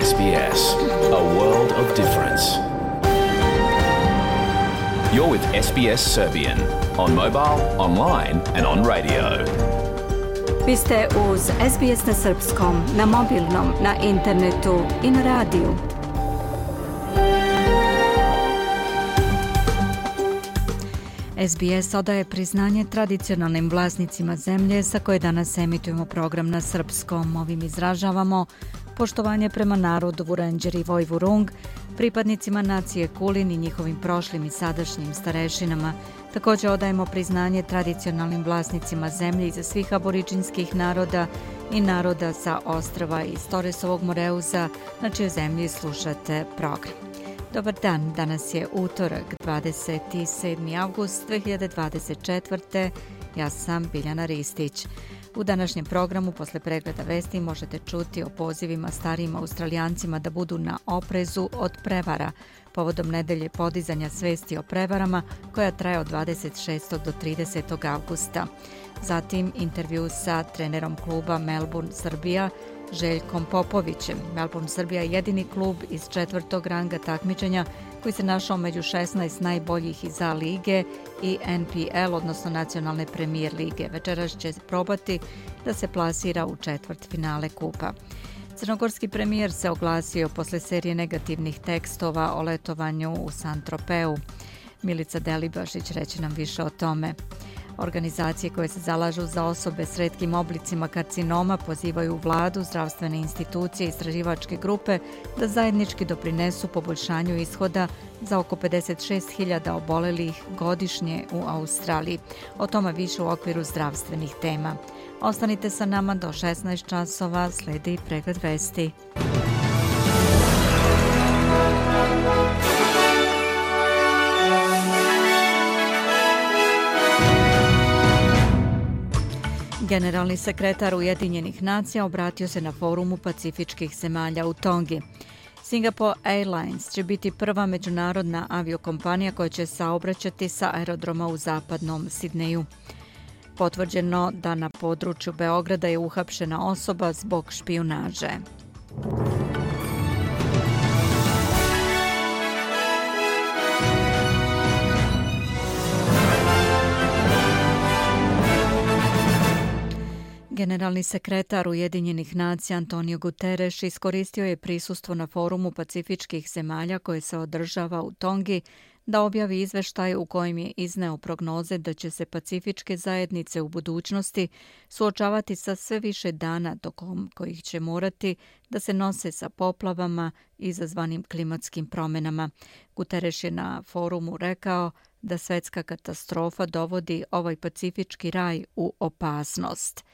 SBS, a world of difference. You're with SBS Serbian on mobile, online and on radio. Vi ste uz SBS na srpskom, na mobilnom, na internetu i na radiju. SBS odaje priznanje tradicionalnim vlasnicima zemlje sa koje danas emitujemo program na srpskom. Ovim izražavamo poštovanje prema narodu Vurenđer i Vojvurung, pripadnicima nacije Kulin i njihovim prošlim i sadašnjim starešinama. Također odajemo priznanje tradicionalnim vlasnicima zemlje iza svih aboriđinskih naroda i naroda sa ostrva iz Toresovog Moreuza, na čijoj zemlji slušate program. Dobar dan, danas je utorak, 27. avgust 2024. Ja sam Biljana Ristić. U današnjem programu posle pregleda vesti možete čuti o pozivima starijim Australijancima da budu na oprezu od prevara, povodom nedelje podizanja svesti o prevarama koja traje od 26. do 30. avgusta. Zatim intervju sa trenerom kluba Melbourne Srbija, Željkom Popovićem. Melbourne Srbija je jedini klub iz četvrtog ranga takmičenja koji se našao među 16 najboljih iz A lige i NPL, odnosno nacionalne premijer lige. Večeras će probati da se plasira u četvrtfinale kupa. Crnogorski premijer se oglasio posle serije negativnih tekstova o letovanju u Saint-Tropeu. Milica Delibašić reće nam više o tome. Organizacije koje se zalažu za osobe s retkim oblicima karcinoma pozivaju vladu, zdravstvene institucije i istraživačke grupe da zajednički doprinesu poboljšanju ishoda za oko 56.000 obolelih godišnje u Australiji. O tome više u okviru zdravstvenih tema. Ostanite sa nama do 16 časova, slijedi pregled vesti. Generalni sekretar Ujedinjenih nacija obratio se na forumu pacifičkih zemalja u Tongi. Singapore Airlines će biti prva međunarodna aviokompanija koja će saobraćati sa aerodroma u zapadnom Sidneju. Potvrđeno da na području Beograda je uhapšena osoba zbog špijunaže. Generalni sekretar Ujedinjenih nacija Antonio Guterres iskoristio je prisustvo na forumu pacifičkih zemalja koje se održava u Tongi da objavi izveštaj u kojem je izneo prognoze da će se pacifičke zajednice u budućnosti suočavati sa sve više dana tokom kojih će morati da se nose sa poplavama izazvanim klimatskim promjenama. Guterres je na forumu rekao da svetska katastrofa dovodi ovaj pacifički raj u opasnost.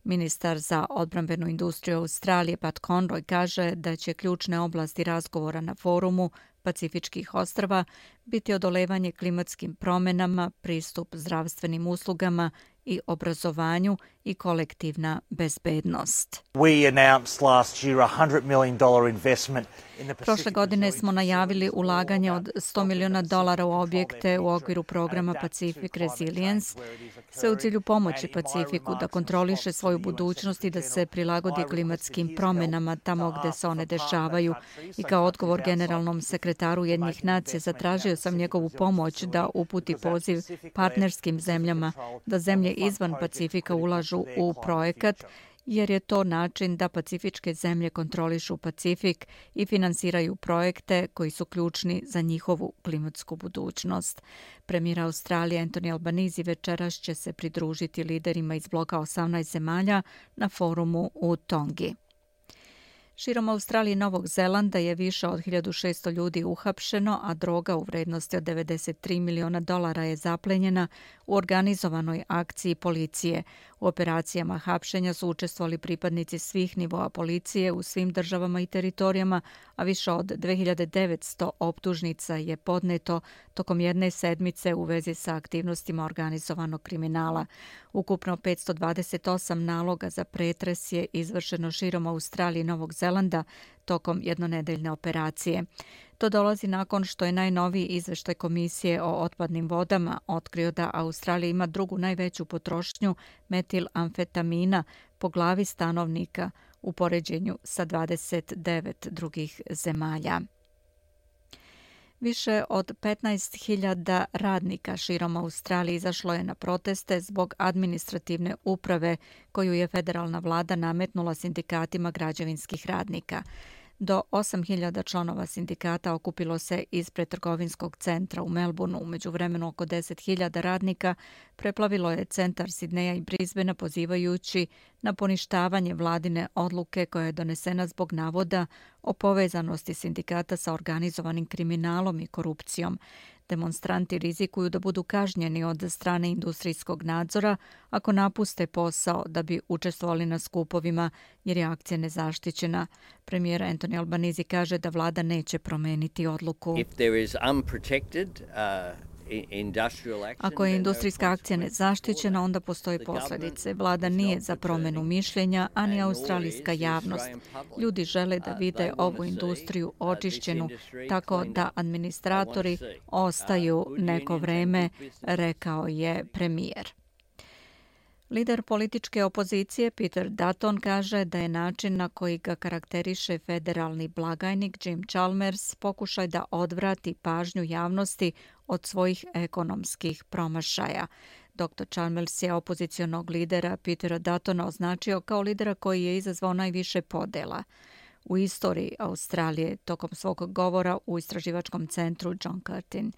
Ministar za odbrambenu industriju Australije Pat Conroy kaže da će ključne oblasti razgovora na forumu Pacifičkih ostrva biti odolevanje klimatskim promjenama, pristup zdravstvenim uslugama i obrazovanju i kolektivna bezbednost. Prošle godine smo najavili ulaganje od $100 miliona u objekte u okviru programa Pacific Resilience, sve u cilju pomoći Pacifiku da kontroliše svoju budućnost i da se prilagodi klimatskim promjenama tamo gde se one dešavaju. I kao odgovor generalnom sekretaru Ujedinjenih nacija zatražio sam njegovu pomoć da uputi poziv partnerskim zemljama da zemlje izvan Pacifika ulažu u projekat, jer je to način da pacifičke zemlje kontrolišu Pacifik i finansiraju projekte koji su ključni za njihovu klimatsku budućnost. Premijer Australije Anthony Albanese večeras će se pridružiti liderima iz bloka 18 zemalja na forumu u Tongi. Širom Australije i Novog Zelanda je više od 1600 ljudi uhapšeno, a droga u vrednosti od $93 miliona je zaplenjena u organizovanoj akciji policije. U operacijama hapšenja su učestvovali pripadnici svih nivoa policije u svim državama i teritorijama, a više od 2900 optužnica je podneto tokom jedne sedmice u vezi sa aktivnostima organizovanog kriminala. Ukupno 528 naloga za pretres je izvršeno širom Australije i Novog Zelanda tokom jednonedeljne operacije. To dolazi nakon što je najnoviji izveštaj Komisije o otpadnim vodama otkrio da Australija ima drugu najveću potrošnju metilamfetamina po glavi stanovnika u poređenju sa 29 drugih zemalja. Više od 15.000 radnika širom Australije izašlo je na proteste zbog administrativne uprave koju je federalna vlada nametnula sindikatima građevinskih radnika. Do 8.000 članova sindikata okupilo se ispred trgovinskog centra u Melbourneu. U međuvremenu oko 10.000 radnika preplavilo je centar Sidneja i Brisbanea pozivajući na poništavanje vladine odluke koja je donesena zbog navoda o povezanosti sindikata sa organizovanim kriminalom i korupcijom. Demonstranti rizikuju da budu kažnjeni od strane industrijskog nadzora ako napuste posao da bi učestvovali na skupovima jer je akcija nezaštićena. Premijer Anthony Albanese kaže da vlada neće promeniti odluku. Ako je industrijska akcija nezaštićena, onda postoji posljedice. Vlada nije za promjenu mišljenja, a ni australijska javnost. Ljudi žele da vide ovu industriju očišćenu, tako da administratori ostaju neko vreme, rekao je premijer. Lider političke opozicije Peter Dutton kaže da je način na koji ga karakteriše federalni blagajnik Jim Chalmers pokušaj da odvrati pažnju javnosti od svojih ekonomskih promašaja. Dr. Chalmers je opozicionog lidera Petera Duttona označio kao lidera koji je izazvao najviše podela u istoriji Australije tokom svog govora u istraživačkom centru John Curtin.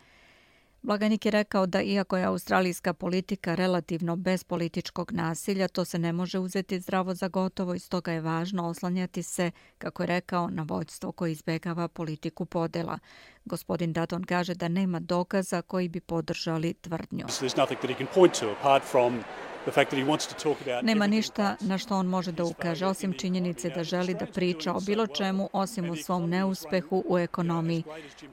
Blagajnik je rekao da iako je australijska politika relativno bez političkog nasilja, to se ne može uzeti zdravo za gotovo i stoga je važno oslanjati se, kako je rekao, na vođstvo koje izbjegava politiku podela. Gospodin Dutton kaže da nema dokaza koji bi podržali tvrdnju. Nema ništa na što on može da ukaže, osim činjenice da želi da priča o bilo čemu, osim o svom neuspehu u ekonomiji.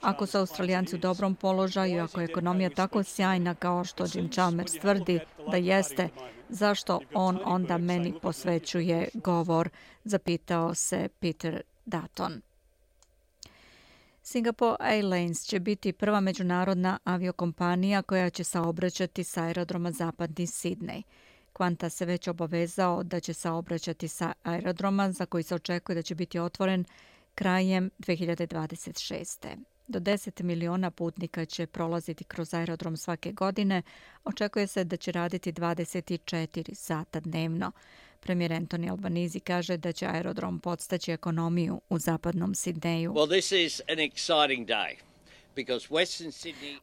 Ako su Australijanci u dobrom položaju, ako je ekonomija tako sjajna kao što Jim Chalmers tvrdi da jeste, zašto on onda meni posvećuje govor, zapitao se Peter Dutton. Singapore Airlines će biti prva međunarodna aviokompanija koja će saobraćati sa aerodroma Zapadni Sidnej. Qantas se već obavezao da će saobraćati sa aerodroma za koji se očekuje da će biti otvoren krajem 2026. Do 10 miliona putnika će prolaziti kroz aerodrom svake godine. Očekuje se da će raditi 24 sata dnevno. Premijer Anthony Albanese kaže da će aerodrom podstaći ekonomiju u zapadnom Sidneju.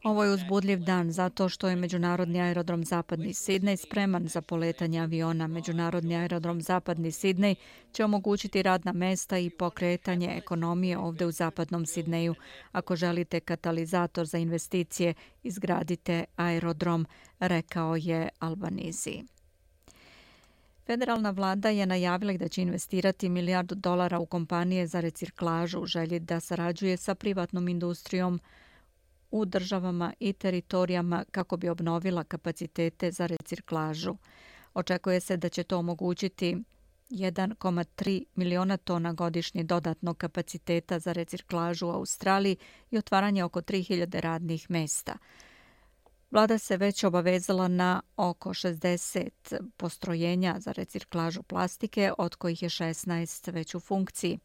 Ovo je uzbudljiv dan zato što je Međunarodni aerodrom Zapadni Sidnej spreman za poletanje aviona. Međunarodni aerodrom Zapadni Sidnej će omogućiti radna mesta i pokretanje ekonomije ovdje u Zapadnom Sidneju. Ako želite katalizator za investicije, izgradite aerodrom, rekao je Albanese. Federalna vlada je najavila da će investirati $1 milijardu u kompanije za reciklažu u želji da sarađuje sa privatnom industrijom u državama i teritorijama kako bi obnovila kapacitete za reciklažu. Očekuje se da će to omogućiti 1,3 miliona tona godišnje dodatnog kapaciteta za reciklažu u Australiji i otvaranje oko 3.000 radnih mesta. Vlada se već obavezala na oko 60 postrojenja za reciklažu plastike, od kojih je 16 već u funkciji.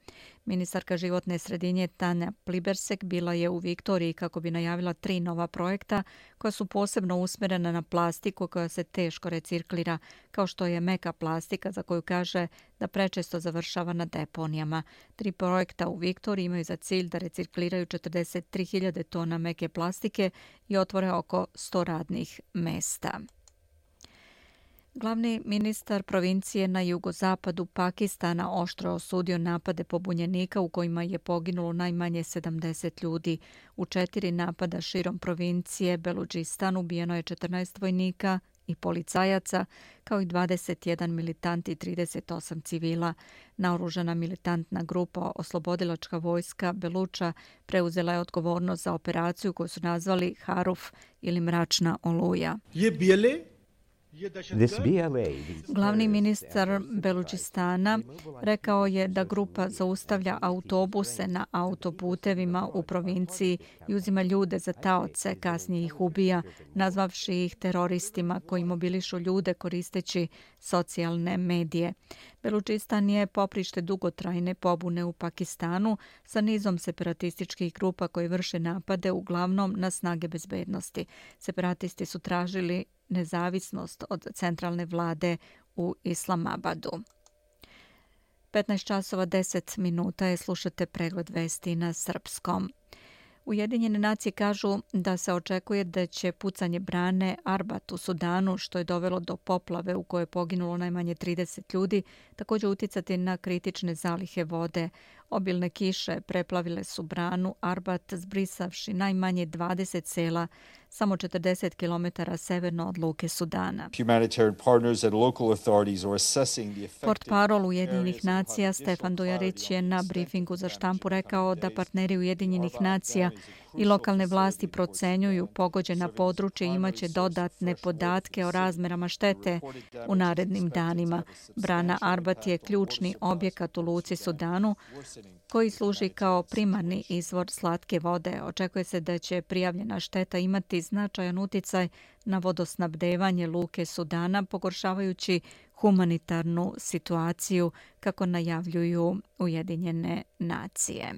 Ministarka životne sredine Tanja Plibersek bila je u Viktoriji kako bi najavila 3 nova projekta koja su posebno usmjerena na plastiku koja se teško reciklira, kao što je meka plastika za koju kaže da prečesto završava na deponijama. 3 projekta u Viktoriji imaju za cilj da recikliraju 43.000 tona meke plastike i otvore oko 100 radnih mesta. Glavni ministar provincije na jugozapadu Pakistana oštro osudio napade pobunjenika u kojima je poginulo najmanje 70 ljudi. U 4 napada širom provincije Beludžistan ubijeno je 14 vojnika i policajaca, kao i 21 militant i 38 civila. Naoružana militantna grupa Oslobodilačka vojska Beluča preuzela je odgovornost za operaciju koju su nazvali Haruf ili mračna oluja. Glavni ministar Belučistana rekao je da grupa zaustavlja autobuse na autoputevima u provinciji i uzima ljude za taoce, kasnije ih ubija, nazvavši ih teroristima koji mobilišu ljude koristeći socijalne medije. Belučistan je poprište dugotrajne pobune u Pakistanu sa nizom separatističkih grupa koji vrše napade uglavnom na snage bezbednosti. Separatisti su tražili nezavisnost od centralne vlade u Islamabadu. 15 časova 10 minuta je, slušate pregled vesti na srpskom. Ujedinjene nacije kažu da se očekuje da će pucanje brane Arbat u Sudanu, što je dovelo do poplave u kojoj je poginulo najmanje 30 ljudi, također uticati na kritične zalihe vode. Obilne kiše preplavile su branu Arbat, zbrisavši najmanje 20 sela samo 40 km severno od luke Sudana. Portparol Ujedinjenih nacija Stefan Dujarić je na brifingu za štampu rekao da partneri Ujedinjenih nacija i lokalne vlasti procenjuju pogođena područja i imaće dodatne podatke o razmerama štete u narednim danima. Brana Arbat je ključni objekat u luci Sudanu koji služi kao primarni izvor slatke vode. Očekuje se da će prijavljena šteta imati značajan uticaj na vodosnabdevanje luke Sudana, pogoršavajući humanitarnu situaciju, kako najavljuju Ujedinjene nacije.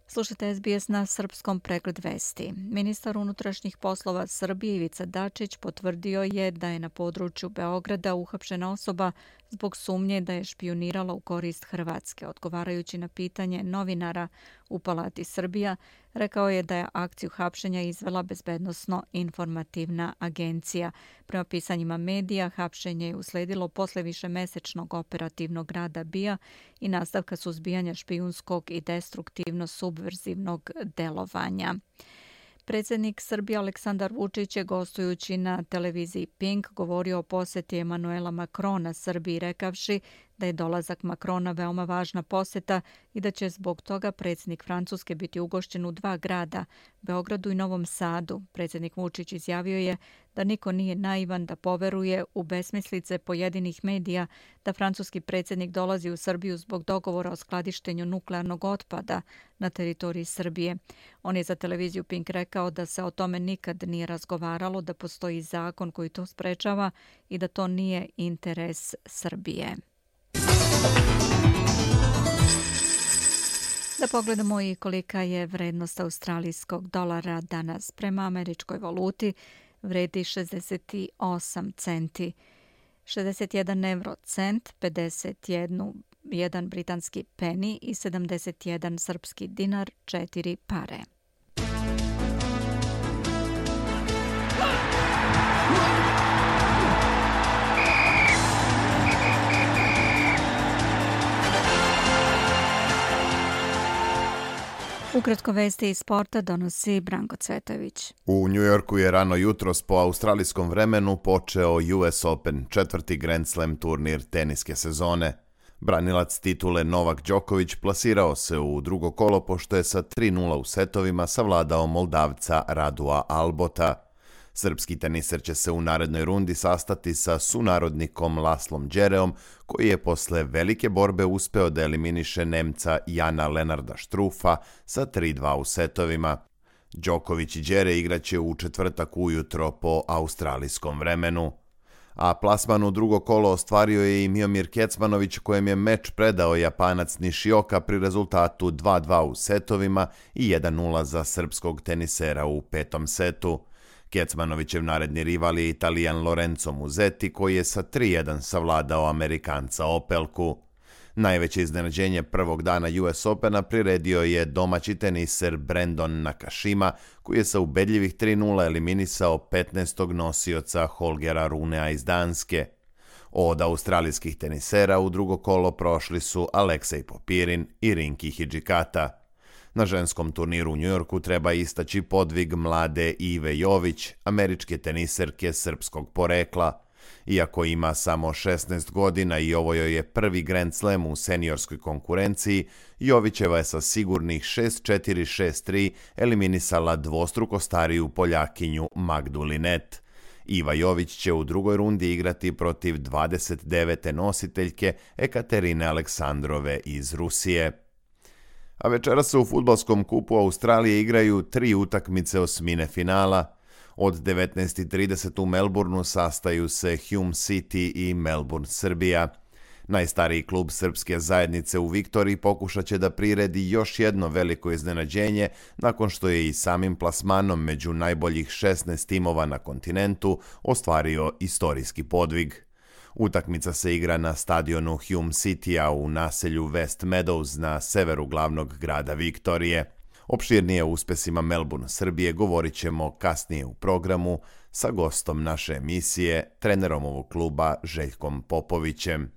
Slušajte SBS na srpskom, pregled vesti. Ministar unutrašnjih poslova Srbije Ivica Dačić potvrdio je da je na području Beograda uhapšena osoba zbog sumnje da je špijunirala u korist Hrvatske. Odgovarajući na pitanje novinara u Palati Srbija, rekao je da je akciju hapšenja izvela Bezbednosno-informativna agencija. Prema pisanjima medija, hapšenje je usledilo posle višemesečnog operativnog rada BIA i nastavka suzbijanja špijunskog i destruktivno-subverzivnog delovanja. Predsjednik Srbije Aleksandar Vučić je, gostujući na televiziji Pink, govorio o posjeti Emanuela Makrona Srbiji, rekavši da je dolazak Makrona veoma važna posjeta i da će zbog toga predsjednik Francuske biti ugošćen u 2 grada, Beogradu i Novom Sadu. Predsjednik Vučić izjavio je da niko nije naivan da poveruje u besmislice pojedinih medija da francuski predsjednik dolazi u Srbiju zbog dogovora o skladištenju nuklearnog otpada na teritoriji Srbije. On je za televiziju Pink rekao da se o tome nikad nije razgovaralo, da postoji zakon koji to sprečava i da to nije interes Srbije. Da pogledamo i kolika je vrednost australijskog dolara danas. Prema američkoj valuti vredi 68 centi, 61 euro cent, 51 britanski peni i 71 srpski dinar, 4 pare. Ukratko vesti iz sporta donosi Branko Cvetović. U Njujorku je rano jutros po australijskom vremenu počeo US Open, 4. Grand Slam turnir teniske sezone. Branilac titule Novak Đoković plasirao se u drugo kolo pošto je sa 3:0 u setovima savladao Moldavca Radua Albota. Srpski teniser će se u narednoj rundi sastati sa sunarodnikom Laslom Đereom, koji je posle velike borbe uspeo da eliminiše Nemca Jana Lenarda Štrufa sa 3:2 u setovima. Đoković i Đere igraće u četvrtak ujutro po australijskom vremenu. A plasman u drugo kolo ostvario je i Miomir Kecmanović, kojem je meč predao Japanac Nishioka pri rezultatu 2:2 u setovima i 1:0 za srpskog tenisera u 5. setu. Kecmanovićev naredni rival je Italijan Lorenzo Musetti, koji je sa 3:1 savladao Amerikanca Opelku. Najveće iznenađenje prvog dana US Opena priredio je domaći teniser Brandon Nakashima, koji je sa ubedljivih 3:0 eliminisao 15. nosioca Holgera Runea iz Danske. Od australijskih tenisera u drugo kolo prošli su Aleksej Popirin i Rinki Hidžikata. Na ženskom turniru u Njujorku treba istaći podvig mlade Ive Jović, američke teniserke srpskog porekla. Iako ima samo 16 godina i ovo joj je prvi Grand Slam u seniorskoj konkurenciji, Jovićeva je sa sigurnih 6-4, 6-3 eliminisala dvostruko stariju Poljakinju Magdu Linet. Iva Jović će u drugoj rundi igrati protiv 29. nositeljke Ekaterine Aleksandrove iz Rusije. A večeras se u fudbalskom kupu Australije igraju 3 utakmice osmine finala. Od 19:30 u Melbourneu sastaju se Hume City i Melbourne Srbija. Najstariji klub srpske zajednice u Viktoriji pokušat će da priredi još jedno veliko iznenađenje nakon što je i samim plasmanom među najboljih 16 timova na kontinentu ostvario istorijski podvig. Utakmica se igra na stadionu Hume Citya u naselju West Meadows na severu glavnog grada Viktorije. Opširnije o uspesima Melbourne Srbije govorit ćemo kasnije u programu sa gostom naše emisije, trenerom ovog kluba Željkom Popovićem.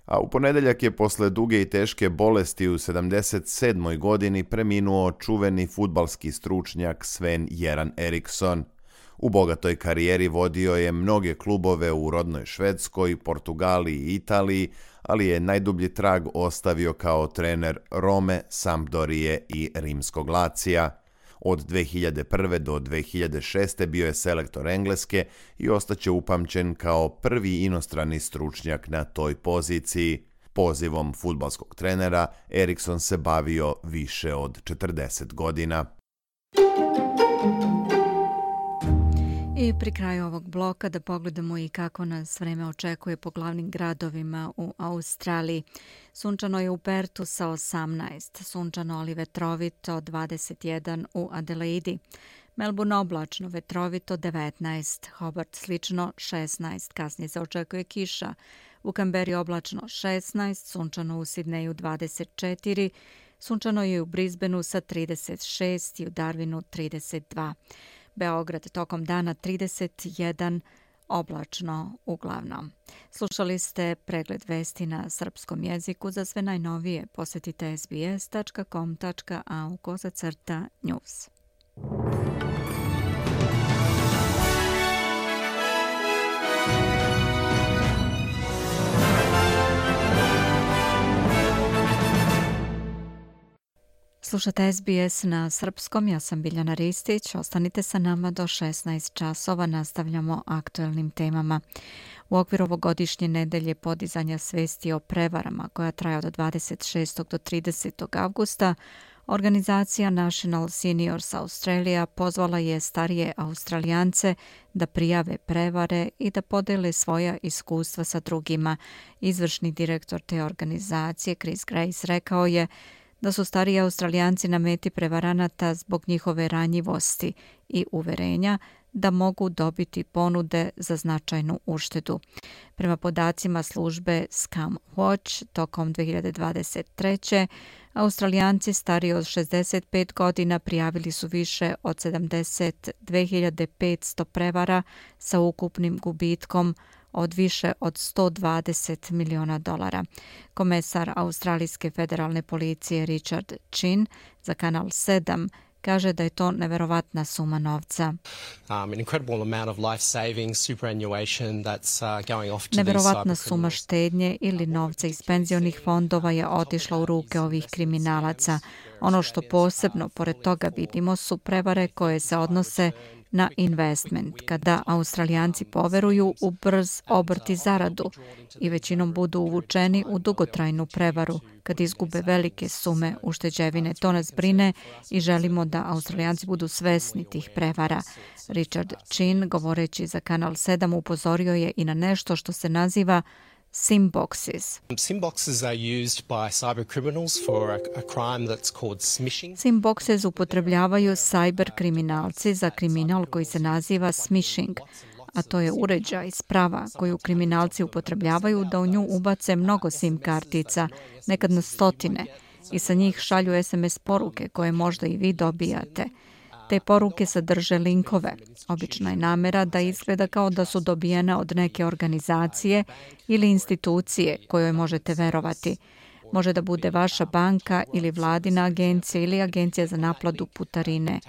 A u ponedeljak je posle duge i teške bolesti u 77. godini preminuo čuveni fudbalski stručnjak Sven-Göran Eriksson. U bogatoj karijeri vodio je mnoge klubove u rodnoj Švedskoj, Portugaliji i Italiji, ali je najdublji trag ostavio kao trener Rome, Sampdorije i Rimskog Lacija. Od 2001. do 2006. bio je selektor Engleske i ostaće upamćen kao prvi inostrani stručnjak na toj poziciji. Pozivom fudbalskog trenera Eriksson se bavio više od 40 godina. I pri kraju ovog bloka da pogledamo i kako nas vreme očekuje po glavnim gradovima u Australiji. Sunčano je u Pertu sa 18, sunčano ali vetrovito 21 u Adelaidi. Melbourne oblačno, vetrovito 19, Hobart slično 16, kasnije se očekuje kiša. U Kamberi oblačno 16, sunčano u Sidneju 24, sunčano je u Brisbaneu sa 36 i u Darwinu 32. Beograd tokom dana 31, oblačno uglavnom. Slušali ste pregled vesti na srpskom jeziku. Za sve najnovije posjetite sbs.com.au/news. Slušate SBS na srpskom, ja sam Biljana Ristić. Ostanite sa nama do 16 časova, nastavljamo aktuelnim temama. U okviru ovogodišnje nedelje podizanja svesti o prevarama, koja traje od 26. do 30. avgusta, organizacija National Seniors Australia pozvala je starije Australijance da prijave prevare i da podele svoja iskustva sa drugima. Izvršni direktor te organizacije, Chris Grace, rekao je da su stariji Australijanci na meti prevaranata zbog njihove ranjivosti i uverenja da mogu dobiti ponude za značajnu uštedu. Prema podacima službe Scam Watch, tokom 2023. Australijanci stariji od 65 godina prijavili su više od 72.500 prevara sa ukupnim gubitkom od više od $120 miliona. Komesar Australijske federalne policije Richard Chin za Kanal 7 kaže da je to neverovatna suma novca. Neverovatna suma štednje ili novca iz penzionih fondova je otišla u ruke ovih kriminalaca. Ono što posebno pored toga vidimo su prevare koje se odnose na investment, kada Australijanci poveruju u brz obrt i zaradu i većinom budu uvučeni u dugotrajnu prevaru, kad izgube velike sume ušteđevine. To nas brine i želimo da Australijanci budu svesni tih prevara. Richard Chin, govoreći za Kanal 7, upozorio je i na nešto što se naziva SIM boxes. SIM boxes are used by cyber criminals for a crime that's called smishing. SIM boxes upotrebljavaju cyber kriminalci za kriminal koji se naziva smishing, a to je uređaj, sprava koju kriminalci upotrebljavaju da u nju ubace mnogo SIM kartica, nekad na stotine, i sa njih šalju SMS poruke koje možda i vi dobijate. Te poruke sadrže linkove. Obična je namera da izgleda kao da su dobijene od neke organizacije ili institucije kojoj možete verovati. Može da bude vaša banka ili vladina agencija ili agencija za naplatu putarine.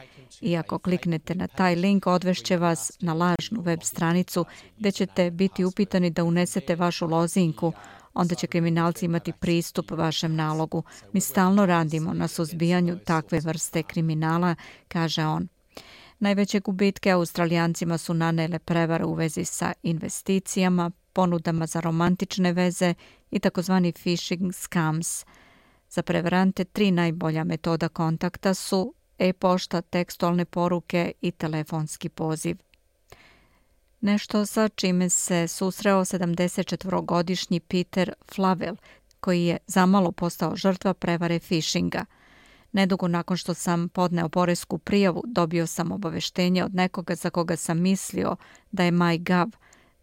I ako kliknete na taj link, odvešće vas na lažnu web stranicu gdje ćete biti upitani da unesete vašu lozinku. Onda će kriminalci imati pristup vašem nalogu. Mi stalno radimo na suzbijanju takve vrste kriminala, kaže on. Najveće gubitke Australijancima su nanele prevare u vezi sa investicijama, ponudama za romantične veze i takozvani phishing scams. Za prevarante 3 najbolja metoda kontakta su e-pošta, tekstualne poruke i telefonski poziv. Nešto sa čime se susreo 74-godišnji Peter Flavel, koji je zamalo postao žrtva prevare phishinga. Nedugo nakon što sam podneo poresku prijavu, dobio sam obaveštenje od nekoga za koga sam mislio da je MyGov,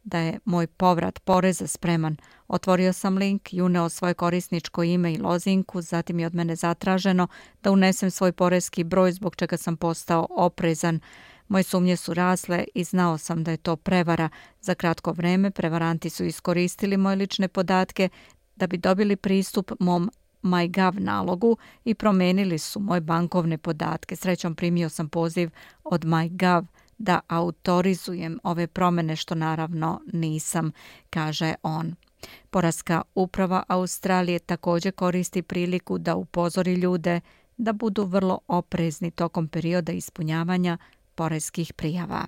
da je moj povrat poreza spreman. Otvorio sam link i uneo svoje korisničko ime i lozinku, zatim je od mene zatraženo da unesem svoj poreski broj, zbog čega sam postao oprezan. Moje sumnje su rasle i znao sam da je to prevara. Za kratko vreme prevaranti su iskoristili moje lične podatke da bi dobili pristup mom MyGov nalogu i promenili su moje bankovne podatke. Srećom primio sam poziv od MyGov da autorizujem ove promjene, što naravno nisam, kaže on. Poreska uprava Australije također koristi priliku da upozori ljude da budu vrlo oprezni tokom perioda ispunjavanja poreskih prijava.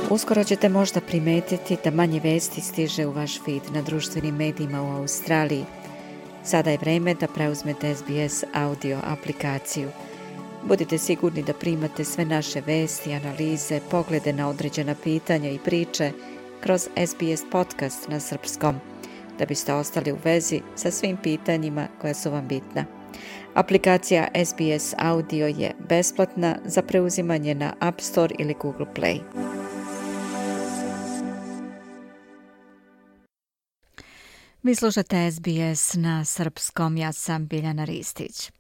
Uskoro ćete možda primetiti da manje vesti stiže u vaš feed na društvenim medijima u Australiji. Sada je vreme da preuzmete SBS audio aplikaciju. Budite sigurni da primate sve naše vesti, analize, poglede na određena pitanja i priče kroz SBS podcast na srpskom, da biste ostali u vezi sa svim pitanjima koja su vam bitna. Aplikacija SBS Audio je besplatna za preuzimanje na App Store ili Google Play. Vi slušate SBS na srpskom, ja sam Biljana Ristić.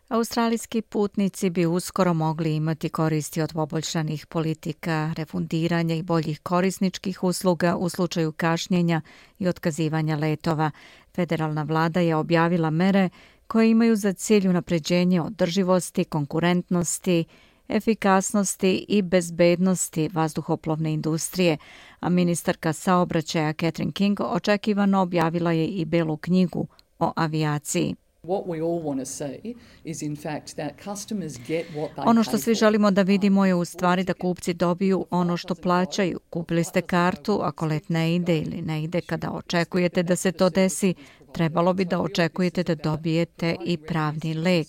Australijski putnici bi uskoro mogli imati koristi od poboljšanih politika, refundiranja i boljih korisničkih usluga u slučaju kašnjenja i otkazivanja letova. Federalna vlada je objavila mere koje imaju za cilj unapređenje održivosti, konkurentnosti, efikasnosti i bezbednosti vazduhoplovne industrije, a ministarka saobraćaja Catherine King očekivano objavila je i belu knjigu o avijaciji. Ono što svi želimo da vidimo je u stvari da kupci dobiju ono što plaćaju. Kupili ste kartu, ako let ne ide ili ne ide kada očekujete da se to desi, trebalo bi da očekujete da dobijete i pravni lek.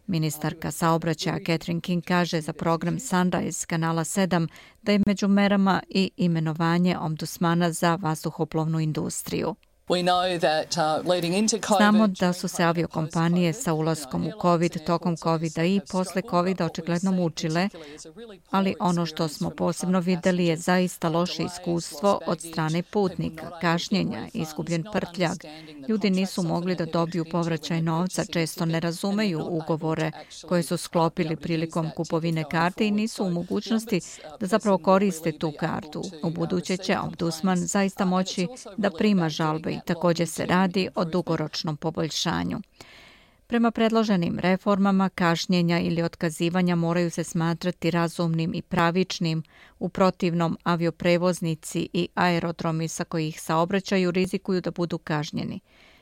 Ministarka saobraćaja Catherine King kaže za program Sunrise kanala 7 da je među merama i imenovanje ombudsmana za vazduhoplovnu industriju. Znamo da su se aviokompanije sa ulaskom u COVID, tokom COVID-a i posle COVID-a očigledno mučile, ali ono što smo posebno vidjeli je zaista loše iskustvo od strane putnika, kašnjenja, izgubljen prtljag. Ljudi nisu mogli da dobiju povraćaj novca, često ne razumeju ugovore koje su sklopili prilikom kupovine karte i nisu u mogućnosti da zapravo koriste tu kartu. U buduće će ombudsman zaista moći da prima žalbe i također se radi o dugoročnom poboljšanju. Prema predloženim reformama, kašnjenja ili otkazivanja moraju se smatrati razumnim i pravičnim, u protivnom avioprevoznici i aerodromi sa kojih saobraćaju rizikuju da budu kažnjeni.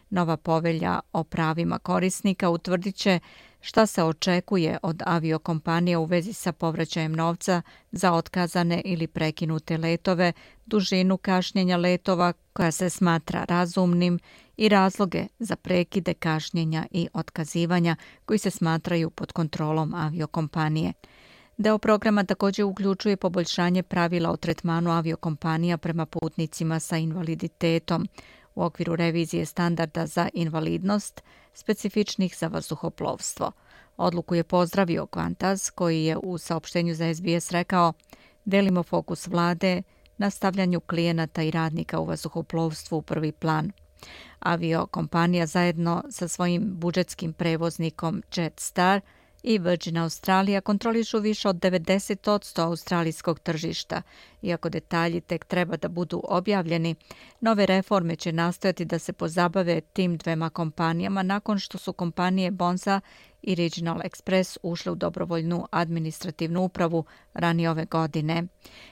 Nova povelja o pravima korisnika utvrdit će šta se očekuje od aviokompanija u vezi sa povraćajem novca za otkazane ili prekinute letove, dužinu kašnjenja letova koja se smatra razumnim i razloge za prekide kašnjenja i otkazivanja koji se smatraju pod kontrolom aviokompanije. Deo programa također uključuje poboljšanje pravila o tretmanu aviokompanija prema putnicima sa invaliditetom u okviru revizije standarda za invalidnost specifičnih za vazduhoplovstvo. Odluku je pozdravio Qantas, koji je u saopštenju za SBS rekao: delimo fokus vlade na stavljanju klijenata i radnika u vazduhoplovstvu u prvi plan. Aviokompanija zajedno sa svojim budžetskim prevoznikom Jetstar i Virgin Australia kontrolišu više od 90% australijskog tržišta. Iako detalji tek treba da budu objavljeni, nove reforme će nastojati da se pozabave tim dvema kompanijama nakon što su kompanije Bonza i Regional Express ušle u dobrovoljnu administrativnu upravu ranije ove godine.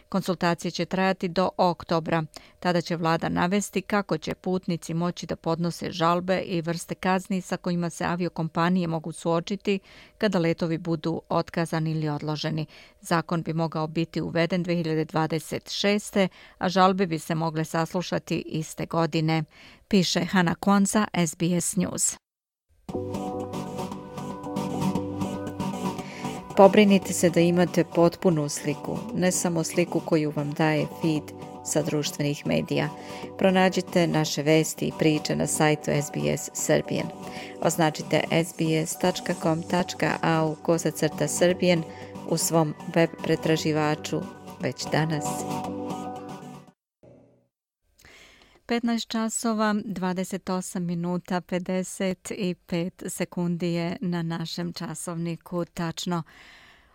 Konsultacije će trajati do oktobra. Tada će vlada navesti kako će putnici moći da podnose žalbe i vrste kazni sa kojima se aviokompanije mogu suočiti kada letovi budu otkazani ili odloženi. Zakon bi mogao biti uveden 2026. a žalbe bi se mogle saslušati iste godine, piše Hana Kwanza, SBS News. Pobrinite se da imate potpunu sliku, ne samo sliku koju vam daje feed sa društvenih medija. Pronađite naše vesti i priče na sajtu SBS Serbian. Označite sbs.com.au/Serbian u svom web pretraživaču već danas. 15 časova, 28 minuta, 55 sekundi je na našem časovniku tačno.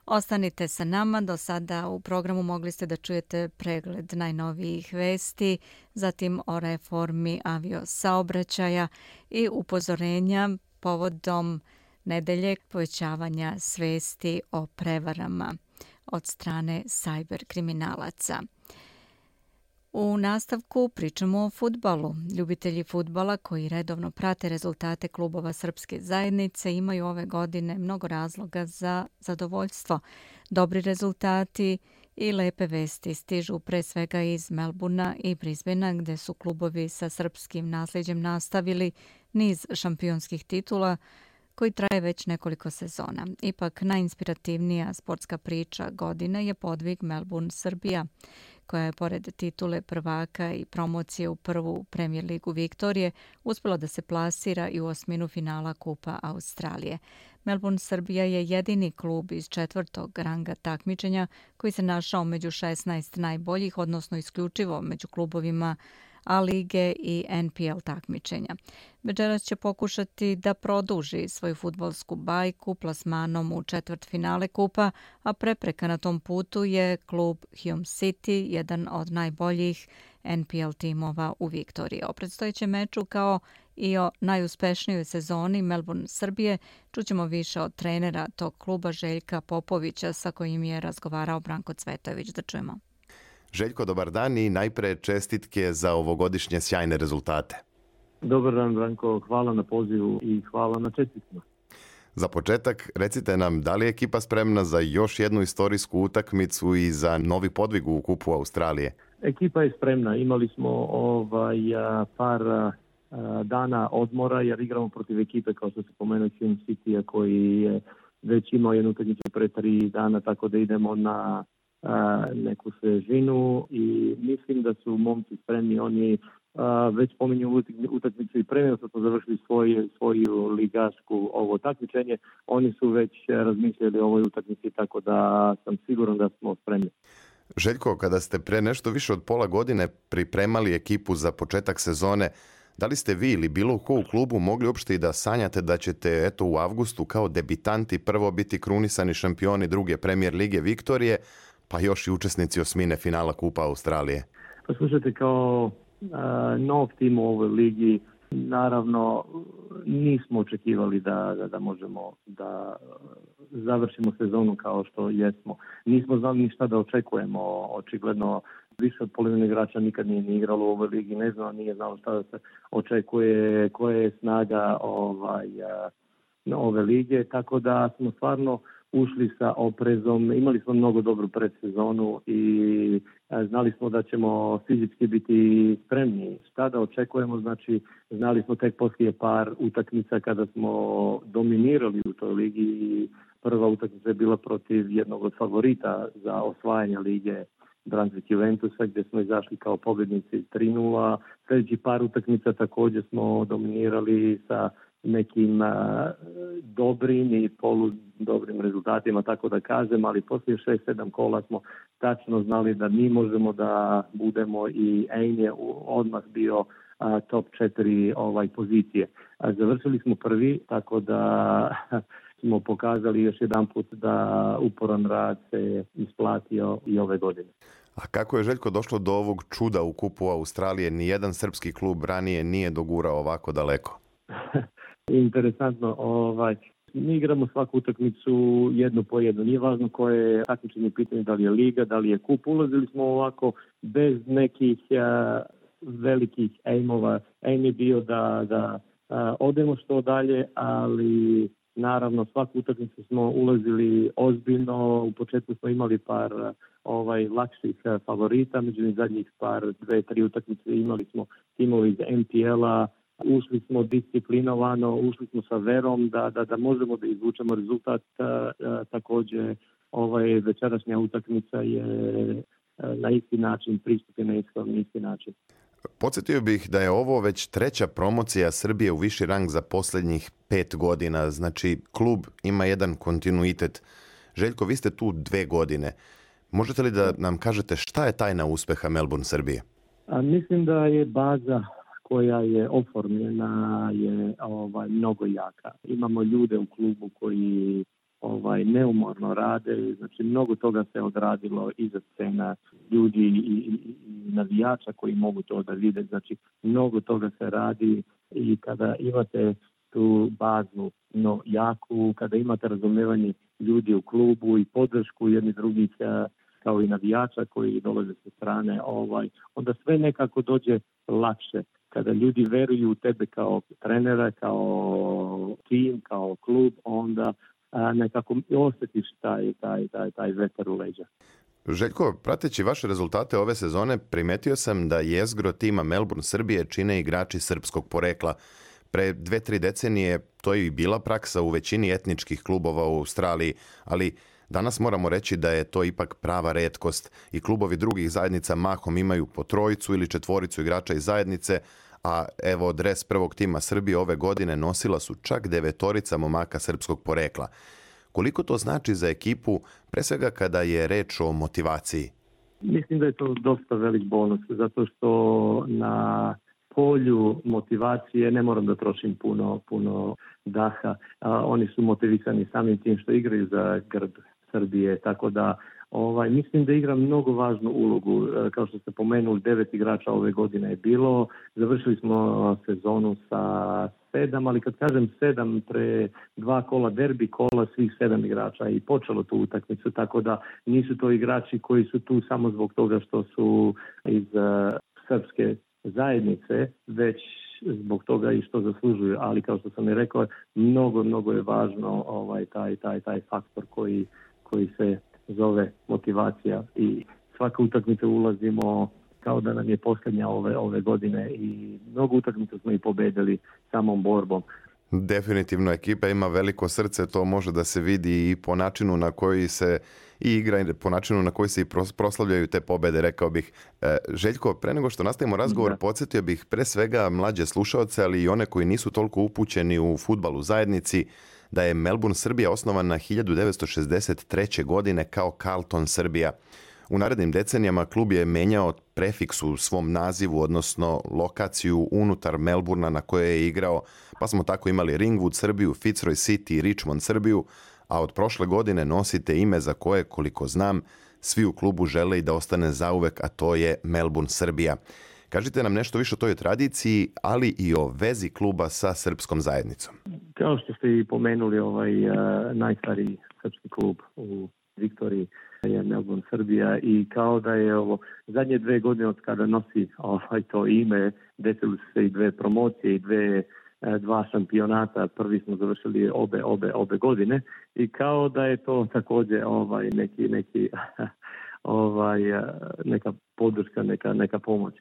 Ostanite sa nama, do sada u programu mogli ste da čujete pregled najnovijih vesti, zatim o reformi aviosaobraćaja i upozorenja povodom nedelje povećavanja svesti o prevarama od strane sajber kriminalaca. U nastavku pričamo o fudbalu. Ljubitelji fudbala koji redovno prate rezultate klubova srpske zajednice imaju ove godine mnogo razloga za zadovoljstvo. Dobri rezultati i lepe vesti stižu pre svega iz Melbournea i Brisbanea, gde su klubovi sa srpskim nasljeđem nastavili niz šampionskih titula koji traje već nekoliko sezona. Ipak najinspirativnija sportska priča godine je podvig Melbourne Srbija, koja je pored titule prvaka i promocije u prvu Premier ligu Viktorije uspjela da se plasira i u osminu finala Kupa Australije. Melbourne Srbija je jedini klub iz četvrtog ranga takmičenja koji se našao među 16 najboljih, odnosno isključivo među klubovima A lige i NPL takmičenja. Večeras će pokušati da produži svoju fudbalsku bajku plasmanom u četvrtfinale Kupa, a prepreka na tom putu je klub Hume City, jedan od najboljih NPL timova u Viktoriji. O predstojećem meču kao i o najuspešnijoj sezoni Melbourne Srbije čućemo više od trenera tog kluba Željka Popovića sa kojim je razgovarao Branko Cvetojević. Da čujemo. Željko, dobar dan i najpre čestitke za ovogodišnje sjajne rezultate. Dobar dan, Branko. Hvala na pozivu i hvala na čestitkama. Za početak, recite nam da li je ekipa spremna za još jednu istorijsku utakmicu i za novi podvig u Kupu Australije? Ekipa je spremna. Imali smo par dana odmora jer igramo protiv ekipe kao što se pomenuo Hume City koji je već imao jednu utakmicu pre 3 dana, tako da idemo na neku svežinu i mislim da su momci spremni. Oni već pominju utakmicu i premijer su završili svoju ligašku ovo takmičenje. Oni su već razmišljali o ovoj utakmici, tako da sam siguran da smo spremni. Željko, kada ste pre nešto više od pola godine pripremali ekipu za početak sezone, da li ste vi ili bilo ko u klubu mogli uopšte i da sanjate da ćete u avgustu kao debitanti prvo biti krunisani šampioni druge Premier lige Viktorije, pa još i učesnici osmine finala Kupa Australije? Pa slušajte, kao nov tim u ovoj ligi, naravno nismo očekivali da možemo da završimo sezonu kao što jesmo. Nismo znali ni šta da očekujemo. Očigledno više od polovine igrača nikad nije ni igralo u ovoj ligi, nije znalo šta da se očekuje, koja je snaga ove lige, tako da smo stvarno ušli sa oprezom, imali smo mnogo dobru predsezonu i znali smo da ćemo fizički biti spremni. Šta da očekujemo, znači znali smo tek poslije par utakmica kada smo dominirali u toj ligi i prva utakmica je bila protiv jednog od favorita za osvajanje lige Brunswick Juventusa, gdje smo izašli kao pobjednici 3-0. Sljedeći par utakmica također smo dominirali sa nekim dobrim i poludobrim rezultatima, tako da kažem, ali poslije 6-7 kola smo tačno znali da mi možemo da budemo i Ain je odmah bio top 4 pozicije. Završili smo prvi, tako da smo pokazali još jedan put da uporan rad se isplatio i ove godine. A kako je, Željko, došlo do ovog čuda u Kupu Australije? Nijedan srpski klub ranije nije dogurao ovako daleko. Interesantno, mi igramo svaku utakmicu jednu po jednu. Nije važno koje je takmičenje pitanje, da li je liga, da li je kup. Ulazili smo ovako bez nekih velikih aimova. Aim je bio da odemo što dalje, ali naravno svaku utakmicu smo ulazili ozbiljno. U početku smo imali par lakših favorita, međutim zadnjih par 2-3 utakmice imali smo timove iz MPL-a. Ušli smo disciplinovano, ušli smo sa verom da možemo da izvučemo rezultat. Također večerašnja utakmica je na isti način, pristup je na isti način. Podsjetio bih da je ovo već 3. promocija Srbije u viši rang za posljednjih 5 godina. Znači, klub ima jedan kontinuitet. Željko, vi ste tu 2 godine. Možete li da nam kažete šta je tajna uspeha Melbourne Srbije? Mislim da je baza koja je oformljena je mnogo jaka. Imamo ljude u klubu koji neumorno rade, znači mnogo toga se odradilo iza scena, ljudi i navijača koji mogu to da vide, znači mnogo toga se radi i kada imate tu bazu jaku, kada imate razumevanje ljudi u klubu i podršku jednih drugih kao i navijača koji dolaze sa strane, onda sve nekako dođe lakše. Kada ljudi veruju u tebe kao trenera, kao tim, kao klub, onda nekako osjetiš taj vetar u leđa. Željko, prateći vaše rezultate ove sezone, primetio sam da jezgro tima Melbourne Srbije čine igrači srpskog porekla. Pre 2-3 decenije to je i bila praksa u većini etničkih klubova u Australiji, ali danas moramo reći da je to ipak prava retkost i klubovi drugih zajednica mahom imaju po 3 ili 4 igrača iz zajednice, a evo dres prvog tima Srbije ove godine nosila su čak 9 momaka srpskog porekla. Koliko to znači za ekipu, pre svega kada je reč o motivaciji? Mislim da je to dosta velik bonus, zato što na polju motivacije ne moram da trošim puno daha. Oni su motivisani samim tim što igraju za grb Srbije, tako da mislim da igra mnogo važnu ulogu. Kao što ste pomenuli, 9 igrača ove godine je bilo. Završili smo sezonu sa 7, ali kad kažem 7, pre 2 kola derbi kola, svih 7 igrača i počelo tu utakmicu, tako da nisu to igrači koji su tu samo zbog toga što su iz srpske zajednice, već zbog toga i što zaslužuju. Ali kao što sam i rekao, mnogo je važno taj faktor koji se zove motivacija i svaka utakmica ulazimo kao da nam je posljednja ove godine i mnogo utakmica smo i pobedili samom borbom. Definitivno ekipa ima veliko srce, to može da se vidi i po načinu na koji se i igra i po načinu na koji se i proslavljaju te pobede, rekao bih. Željko, pre nego što nastavimo razgovor, podsjetio bih pre svega mlađe slušaoce, ali i one koji nisu toliko upućeni u fudbal u zajednici, da je Melbourne Srbija osnovana 1963. godine kao Carlton Srbija. U narednim decenijama klub je menjao prefiks u svom nazivu, odnosno lokaciju unutar Melbourna na kojoj je igrao, pa smo tako imali Ringwood Srbiju, Fitzroy City i Richmond Srbiju, a od prošle godine nosite ime za koje, koliko znam, svi u klubu žele i da ostane zauvek, a to je Melbourne Srbija. Kažite nam nešto više o toj tradiciji, ali i o vezi kluba sa srpskom zajednicom. Kao što ste i pomenuli, najstariji srpski klub u Viktoriji je Melbourne Srbija i kao da je zadnje 2 godine od kada nosi to ime, desili su se i 2 promocije i 2 šampionata. Prvi smo završili obe godine i kao da je to također neka podrška, neka pomoć.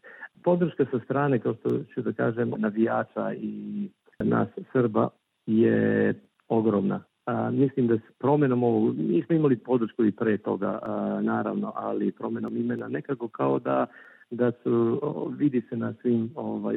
Podrška sa strane, kao što ću da kažem, navijača i nas Srba je ogromna. Mislim da s promjenom ovog, nismo imali podršku i pre toga, naravno, ali promjenom imena nekako kao da su, vidi se na svim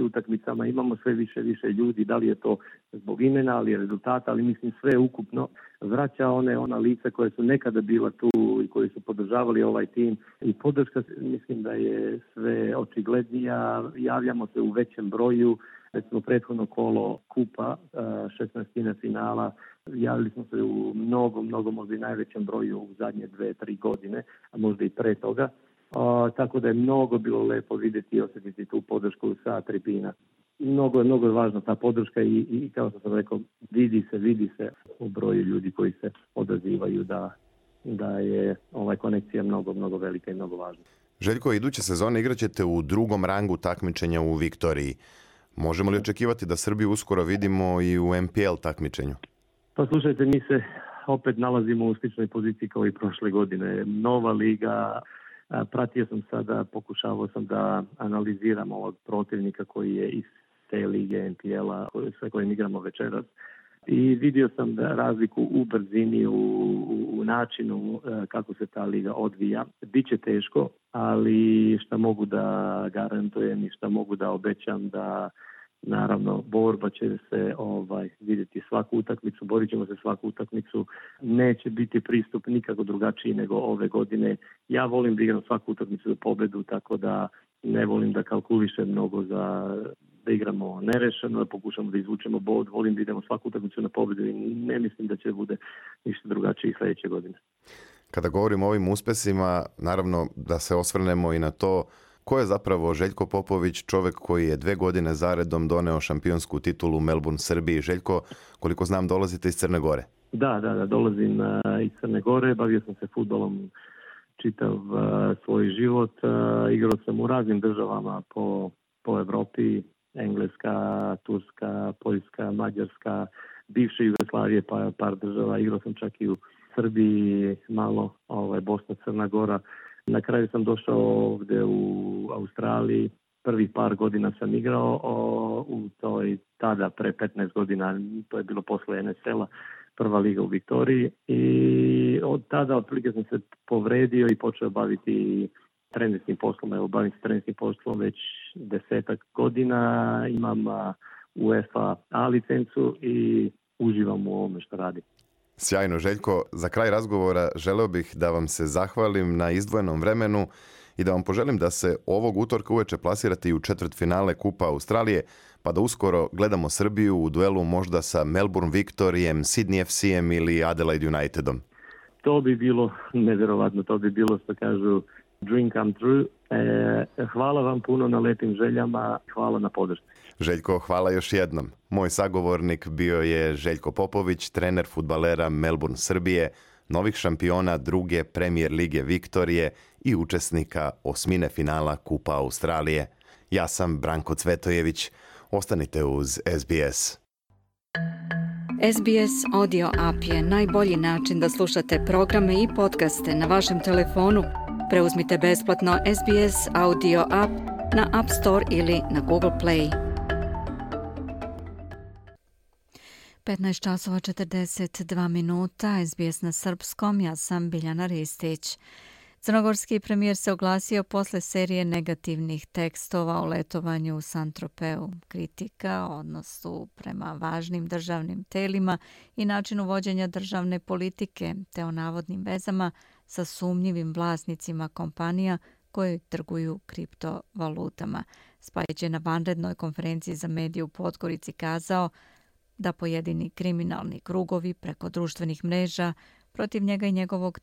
utakmicama, imamo sve više ljudi, da li je to zbog imena, ali rezultata, ali mislim sve ukupno vraća ona lica koje su nekada bila tu i koji su podržavali ovaj tim i podrška, mislim da je sve očiglednija, javljamo se u većem broju, recimo prethodno kolo kupa, 16. finala, javili smo se u mnogo možda i najvećem broju u zadnje 2-3 godine, a možda i pre toga. Tako da je mnogo bilo lepo vidjeti i osjetiti tu podršku sa tribina. mnogo je važna ta podrška i kao što sam rekao, vidi se u broju ljudi koji se odazivaju da je konekcija mnogo velika i mnogo važna. Željko, iduće sezone igraćete u drugom rangu takmičenja u Viktoriji. Možemo li očekivati da Srbiju uskoro vidimo i u MPL takmičenju? Pa slušajte, mi se opet nalazimo u sličnoj poziciji kao i prošle godine. Nova liga, pratio sam sada, pokušavao sam da analiziram ovog protivnika koji je iz te lige MPL-a sa kojim igramo večeras. I vidio sam razliku u brzini, u načinu kako se ta liga odvija. Biće teško, ali šta mogu da garantujem i šta mogu da obećam da naravno borba će se vidjeti svaku utakmicu, borit ćemo se svaku utakmicu. Neće biti pristup nikako drugačiji nego ove godine. Ja volim da igram svaku utakmicu za pobedu, tako da ne volim da kalkulišem mnogo da igramo nerešeno, da pokušamo da izvučemo bod. Volim da idemo svaku utakmicu na pobedu i ne mislim da će bude ništa drugačije sljedeće godine. Kada govorimo o ovim uspesima, naravno da se osvrnemo i na to ko je zapravo Željko Popović, čovjek koji je 2 godine zaredom doneo šampionsku titulu u Melbourne, Srbiji. Željko, koliko znam, dolazite iz Crne Gore. Da, dolazim iz Crne Gore, bavio sam se fudbalom čitav svoj život. Igrao sam u raznim državama po Evropi, Engleska, Turska, Poljska, Mađarska, bivše Jugoslavije, pa par država. Igrao sam čak i u Srbiji, malo Bosna, Crna Gora. Na kraju sam došao ovdje u Australiji. Prvih par godina sam igrao u toj tada pre 15 godina, to je bilo posle NSL-a, prva liga u Viktoriji. I od tada otprilike sam se povredio i počeo baviti trenerskim poslom. Evo, bavim se trenerskim poslom već 10 godina. Imam UEFA A licencu i uživam u ovome što radim. Sjajno, Željko. Za kraj razgovora želeo bih da vam se zahvalim na izdvojenom vremenu i da vam poželim da se ovog utorka uveče plasirate i u četvrtfinale Kupa Australije, pa da uskoro gledamo Srbiju u duelu možda sa Melbourne Victorijem, Sydney FC-em ili Adelaide Unitedom. To bi bilo nevjerovatno, to bi bilo, što kažu, dream come true. Hvala vam puno na lepim željama, hvala na podršci. Željko, hvala još jednom. Moj sagovornik bio je Željko Popović, trener fudbalera Melbourne, Srbije, novih šampiona druge Premier lige Viktorije i učesnika osmine finala Kupa Australije. Ja sam Branko Cvetojević. Ostanite uz SBS. SBS Audio App je najbolji način da slušate programe i podcaste na vašem telefonu. Preuzmite besplatno SBS Audio App na App Store ili na Google Play. 15:42, SBS na srpskom, ja sam Biljana Ristić. Crnogorski premijer se oglasio posle serije negativnih tekstova o letovanju u Saint-Tropeu. Kritika o odnosu prema važnim državnim telima i načinu vođenja državne politike, te o navodnim vezama sa sumnjivim vlasnicima kompanija koje trguju kriptovalutama. Spajić je na vanrednoj konferenciji za medije u Podgorici kazao da pojedini kriminalni krugovi preko društvenih mreža protiv njega i njegovog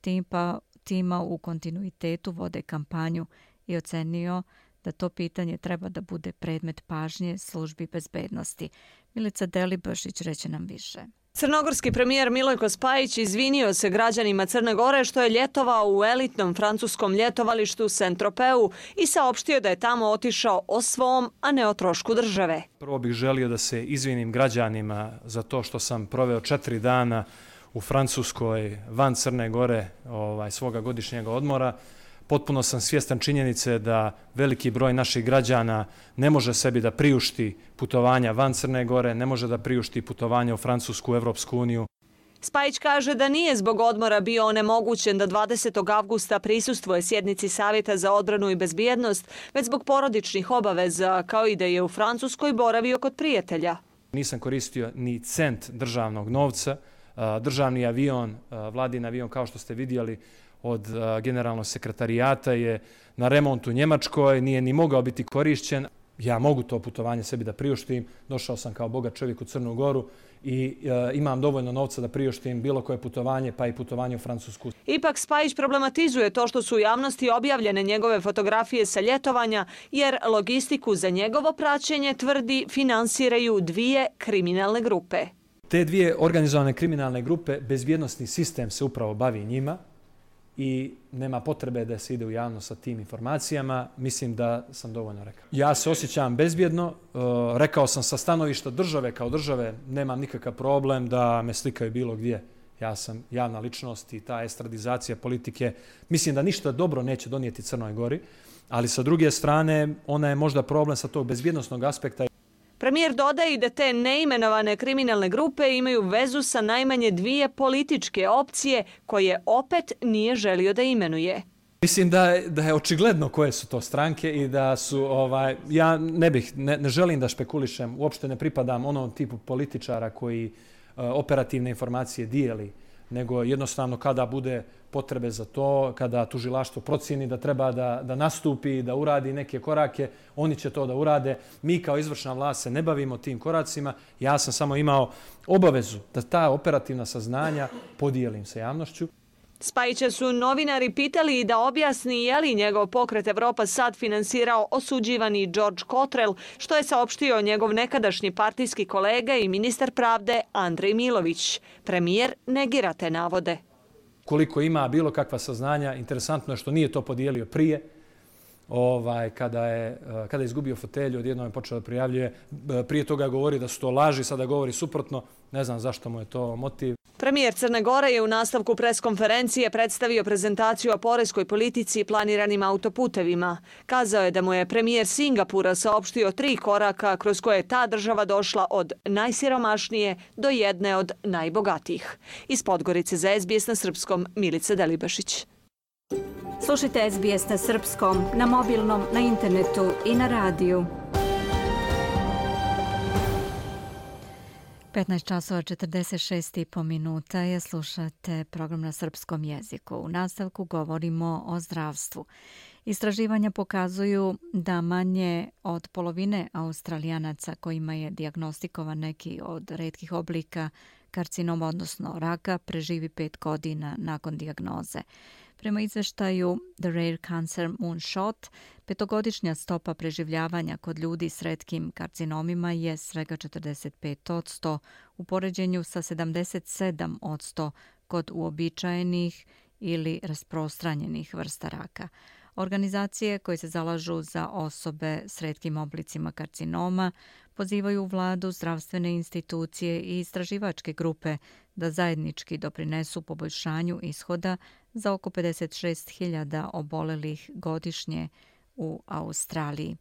tima u kontinuitetu vode kampanju i ocenio da to pitanje treba da bude predmet pažnje službi bezbednosti. Milica Delibašić reće nam više. Crnogorski premijer Milojko Spajić izvinio se građanima Crne Gore što je ljetovao u elitnom francuskom ljetovalištu Saint-Tropeu i saopštio da je tamo otišao o svom, a ne o trošku države. Prvo bih želio da se izvinim građanima za to što sam proveo 4 dana u Francuskoj van Crne Gore svoga godišnjeg odmora. Potpuno sam svjestan činjenice da veliki broj naših građana ne može sebi da priušti putovanja van Crne Gore, ne može da priušti putovanja u Francusku, u Evropsku uniju. Spajić kaže da nije zbog odmora bio onemogućen da 20. avgusta prisustvuje sjednici Savjeta za odbranu i bezbjednost, već zbog porodičnih obaveza, kao i da je u Francuskoj boravio kod prijatelja. Nisam koristio ni cent državnog novca. Državni avion, vladin avion, kao što ste vidjeli, od generalnog sekretarijata je na remontu u Njemačkoj, nije ni mogao biti korišćen. ja mogu to putovanje sebi da priuštim, došao sam kao bogat čovjek u Crnu Goru i imam dovoljno novca da priuštim bilo koje putovanje, pa i putovanje u Francusku. Ipak Spajić problematizuje to što su u javnosti objavljene njegove fotografije sa ljetovanja, jer logistiku za njegovo praćenje, tvrdi, finansiraju dvije kriminalne grupe. Te dvije organizovane kriminalne grupe, bezbjednosni sistem se upravo bavi njima i nema potrebe da se ide u javnost sa tim informacijama. Mislim da sam dovoljno rekao. Ja se osjećam bezbjedno. Rekao sam sa stanovišta države, kao države nemam nikakav problem da me slikaju bilo gdje. Ja sam javna ličnost i ta estradizacija politike mislim da ništa dobro neće donijeti Crnoj Gori, ali sa druge strane ona je možda problem sa tog bezbjednosnog aspekta. Premijer dodaje i da te neimenovane kriminalne grupe imaju vezu sa najmanje dvije političke opcije koje opet nije želio da imenuje. Mislim da je očigledno koje su to stranke i da su, ja ne želim da špekulišem, uopšte ne pripadam onom tipu političara koji operativne informacije dijeli, nego jednostavno kada bude potrebe za to, kada tužilaštvo procjeni da treba da nastupi, da uradi neke korake, oni će to da urade. Mi kao izvršna vlast se ne bavimo tim koracima. Ja sam samo imao obavezu da ta operativna saznanja podijelim sa javnošću. Spajića su novinari pitali da objasni je li njegov pokret Evropa sad finansirao osuđivani George Cottrell, što je saopštio njegov nekadašnji partijski kolega i ministar pravde Andrej Milović. Premijer negira te navode. Koliko ima bilo kakva saznanja, interesantno je što nije to podijelio prije. Kada je izgubio fotelju, odjednom je počeo da prijavljuje. Prije toga je govorio da su to laži, sada govori suprotno. Ne znam zašto mu je to motiv. Premijer Crne Gore je u nastavku preskonferencije predstavio prezentaciju o poreskoj politici i planiranim autoputevima. Kazao je da mu je premijer Singapura saopštio 3 koraka kroz koje je ta država došla od najsiromašnije do jedne od najbogatijih. Iz Podgorice za SBS na srpskom, Milica Delibašić. Slušajte SBS na srpskom, na mobilnom, na internetu i na radiju. 15:46 minuta je, slušate program na srpskom jeziku. U nastavku govorimo o zdravstvu. Istraživanja pokazuju da manje od polovine Australijanaca kojima je dijagnostikovan neki od retkih oblika karcinoma, odnosno raka, preživi 5 godina nakon dijagnoze. Prema izveštaju The Rare Cancer Moonshot, 5-godišnja stopa preživljavanja kod ljudi s retkim karcinomima je svega 45% u poređenju sa 77% kod uobičajenih ili rasprostranjenih vrsta raka. Organizacije koje se zalažu za osobe s retkim oblicima karcinoma pozivaju vladu, zdravstvene institucije i istraživačke grupe da zajednički doprinesu poboljšanju ishoda za oko 56.000 obolelih godišnje u Australiji.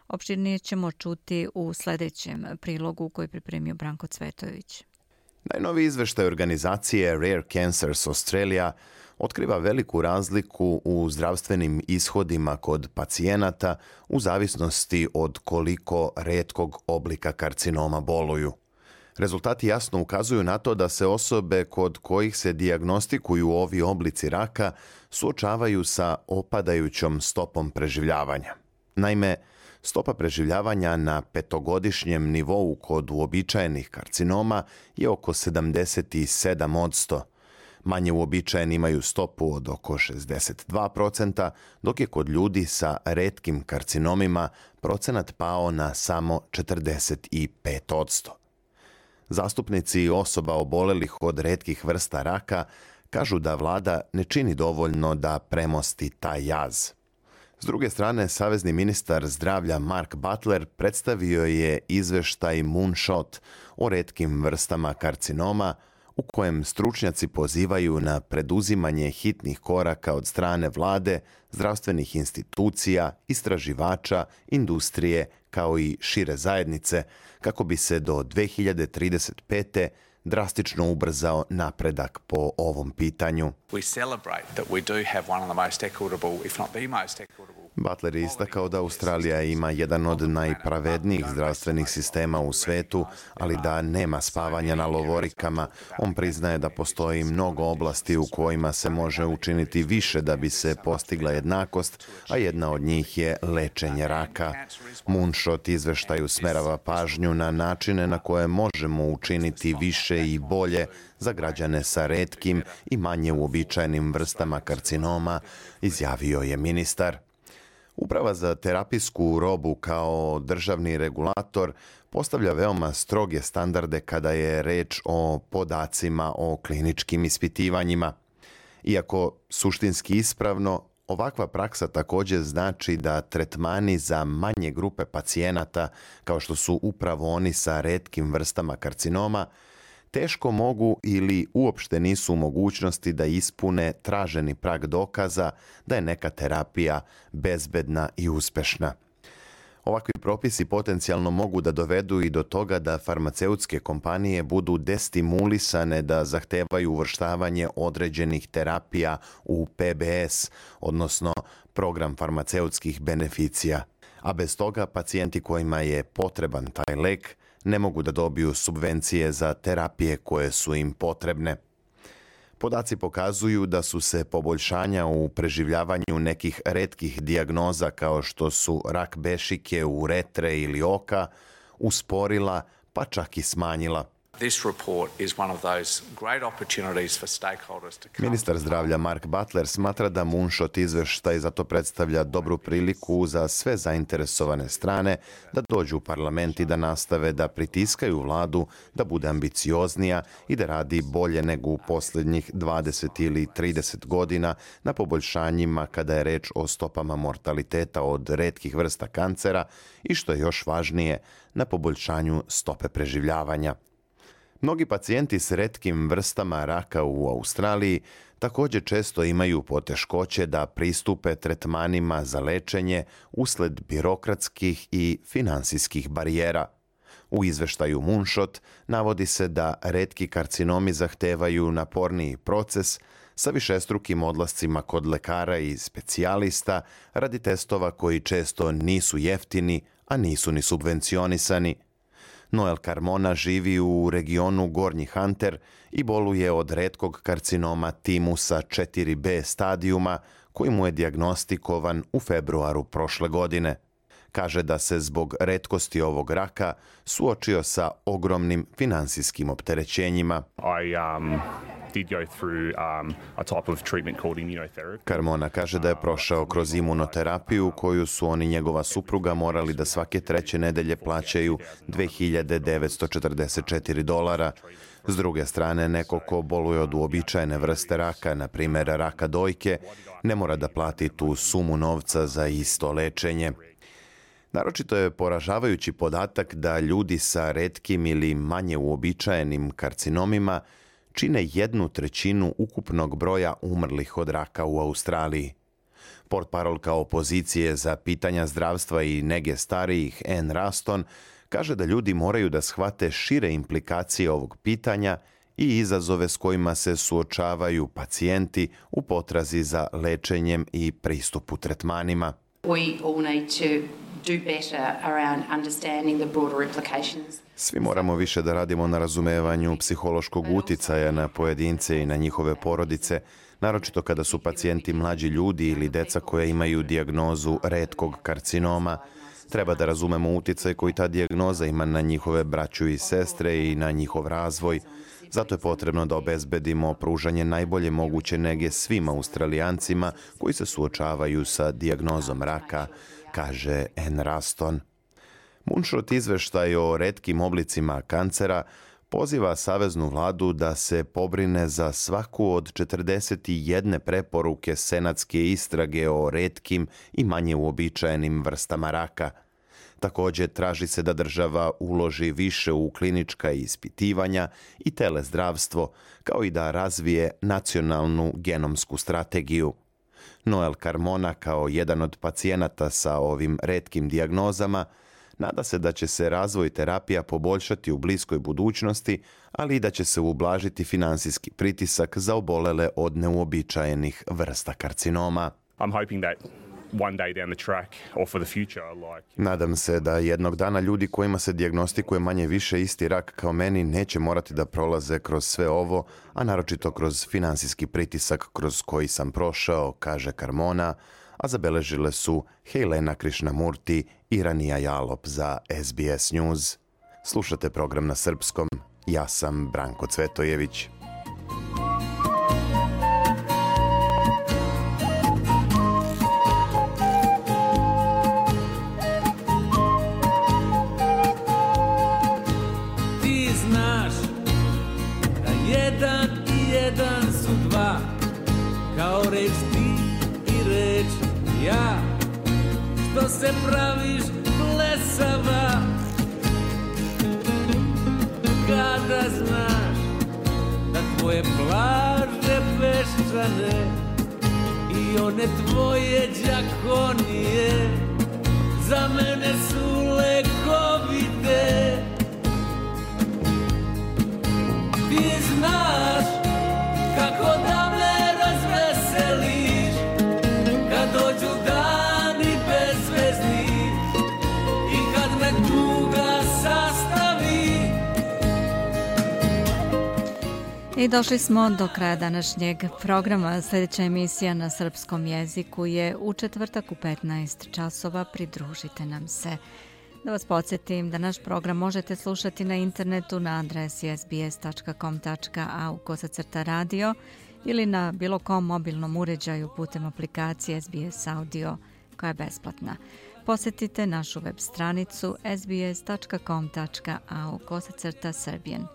Opširnije ćemo čuti u sljedećem prilogu koji je pripremio Branko Cvetović. Najnoviji izveštaj organizacije Rare Cancers Australia otkriva veliku razliku u zdravstvenim ishodima kod pacijenata u zavisnosti od koliko retkog oblika karcinoma boluju. Rezultati jasno ukazuju na to da se osobe kod kojih se dijagnostikuju ovi oblici raka suočavaju sa opadajućom stopom preživljavanja. Naime, stopa preživljavanja na 5-godišnjem nivou kod uobičajenih karcinoma je oko 77%. Manje uobičajeni imaju stopu od oko 62%, dok je kod ljudi sa retkim karcinomima procenat pao na samo 45%. Zastupnici osoba obolelih od retkih vrsta raka kažu da vlada ne čini dovoljno da premosti taj jaz. S druge strane, savezni ministar zdravlja Mark Butler predstavio je izveštaj Moonshot o retkim vrstama karcinoma, u kojem stručnjaci pozivaju na preduzimanje hitnih koraka od strane vlade, zdravstvenih institucija, istraživača, industrije kao i šire zajednice, kako bi se do 2035. drastično ubrzao napredak po ovom pitanju. Butler je istakao da Australija ima jedan od najpravednijih zdravstvenih sistema u svetu, ali da nema spavanja na lovorikama. On priznaje da postoji mnogo oblasti u kojima se može učiniti više da bi se postigla jednakost, a jedna od njih je lečenje raka. Moonshot izveštaj usmerava pažnju na načine na koje možemo učiniti više i bolje za građane sa retkim i manje uobičajenim vrstama karcinoma, izjavio je ministar. Uprava za terapijsku robu kao državni regulator postavlja veoma stroge standarde kada je reč o podacima o kliničkim ispitivanjima. Iako suštinski ispravno, ovakva praksa također znači da tretmani za manje grupe pacijenata, kao što su upravo oni sa retkim vrstama karcinoma, teško mogu ili uopšte nisu u mogućnosti da ispune traženi prag dokaza da je neka terapija bezbedna i uspešna. Ovakvi propisi potencijalno mogu da dovedu i do toga da farmaceutske kompanije budu destimulisane da zahtevaju uvrštavanje određenih terapija u PBS, odnosno program farmaceutskih beneficija. A bez toga pacijenti kojima je potreban taj lek ne mogu da dobiju subvencije za terapije koje su im potrebne. Podaci pokazuju da su se poboljšanja u preživljavanju nekih retkih dijagnoza kao što su rak bešike, uretre ili oka usporila pa čak i smanjila. Ministar zdravlja Mark Butler smatra da Moonshot izveštaj zato predstavlja dobru priliku za sve zainteresovane strane da dođu u parlament i da nastave da pritiskaju vladu da bude ambicioznija i da radi bolje nego u posljednjih 20 ili 30 godina na poboljšanjima kada je reč o stopama mortaliteta od retkih vrsta kancera i, što je još važnije, na poboljšanju stope preživljavanja. Mnogi pacijenti s retkim vrstama raka u Australiji također često imaju poteškoće da pristupe tretmanima za lečenje usled birokratskih i finansijskih barijera. U izveštaju Moonshot navodi se da retki karcinomi zahtevaju naporniji proces sa višestrukim odlascima kod lekara i specijalista radi testova koji često nisu jeftini, a nisu ni subvencionisani. Noel Carmona živi u regionu Gornji Hunter i boluje od retkog karcinoma timusa 4B stadijuma koji mu je dijagnostikovan u februaru prošle godine. Kaže da se zbog retkosti ovog raka suočio sa ogromnim finansijskim opterećenjima. Carmona kaže da je prošao kroz imunoterapiju koju su on i njegova supruga morali da svake 3. nedelje plaćaju $2.944. S druge strane, neko ko boluje od uobičajene vrste raka, na primjer raka dojke, ne mora da plati tu sumu novca za isto lečenje. Naročito je poražavajući podatak da ljudi sa retkim ili manje uobičajenim karcinomima čine 1/3 ukupnog broja umrlih od raka u Australiji. Portparolka opozicije za pitanja zdravstva i nege starijih Ann Ruston kaže da ljudi moraju da shvate šire implikacije ovog pitanja i izazove s kojima se suočavaju pacijenti u potrazi za lečenjem i pristupu tretmanima. Svi moramo više da radimo na razumevanju psihološkog uticaja na pojedince i na njihove porodice, naročito kada su pacijenti mlađi ljudi ili deca koja imaju dijagnozu retkog karcinoma. Treba da razumemo uticaj koji ta dijagnoza ima na njihove braću i sestre i na njihov razvoj. Zato je potrebno da obezbedimo pružanje najbolje moguće nege svim Australijancima koji se suočavaju sa dijagnozom raka, kaže Ann Ruston. Moonshot izveštaj o retkim oblicima kancera poziva saveznu vladu da se pobrine za svaku od 41 preporuke senatske istrage o retkim i manje uobičajenim vrstama raka. Također traži se da država uloži više u klinička ispitivanja i telezdravstvo, kao i da razvije nacionalnu genomsku strategiju. Noel Carmona, kao jedan od pacijenata sa ovim retkim dijagnozama, nada se da će se razvoj terapija poboljšati u bliskoj budućnosti, ali i da će se ublažiti finansijski pritisak za obolele od neuobičajenih vrsta karcinoma. I'm hoping that one day down the track or for the future. Nadam se da jednog dana ljudi kojima se dijagnostikuje manje više isti rak kao meni neće morati da prolaze kroz sve ovo, a naročito kroz finansijski pritisak kroz koji sam prošao, kaže Carmona, a zabeležile su Helena Krishnamurti i Rania Jalop za SBS News. Slušate program na srpskom. Ja sam Branko Cvetojević. Ti znaš da jedan i jedan su dva, kao reč ti i reč ja, što se praviš blesava kada znaš da tvoje plaže peščane i one tvoje đakonije za mene su lekovite. Ti znaš kako da me razveseliš kad dođu dani bezvezni i kad me tuga sastavi. I došli smo do kraja današnjeg programa. Sljedeća emisija na srpskom jeziku je u četvrtak u 15 časova. Pridružite nam se. Da vas podsjetim da naš program možete slušati na internetu na adresi sbs.com.au/radio ili na bilo kom mobilnom uređaju putem aplikacije SBS Audio koja je besplatna. Posjetite našu web stranicu sbs.com.au/Serbian.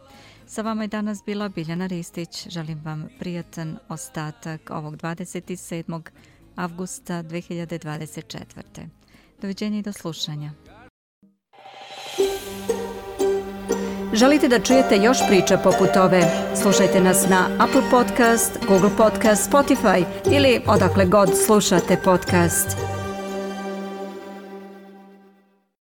Sa vama je danas bila Biljana Ristić. Želim vam prijatan ostatak ovog 27. avgusta 2024. Doviđenja i do slušanja. Želite da čujete još priča poput ove? Slušajte nas na Apple Podcast, Google Podcast, Spotify ili odakle god slušate podcast.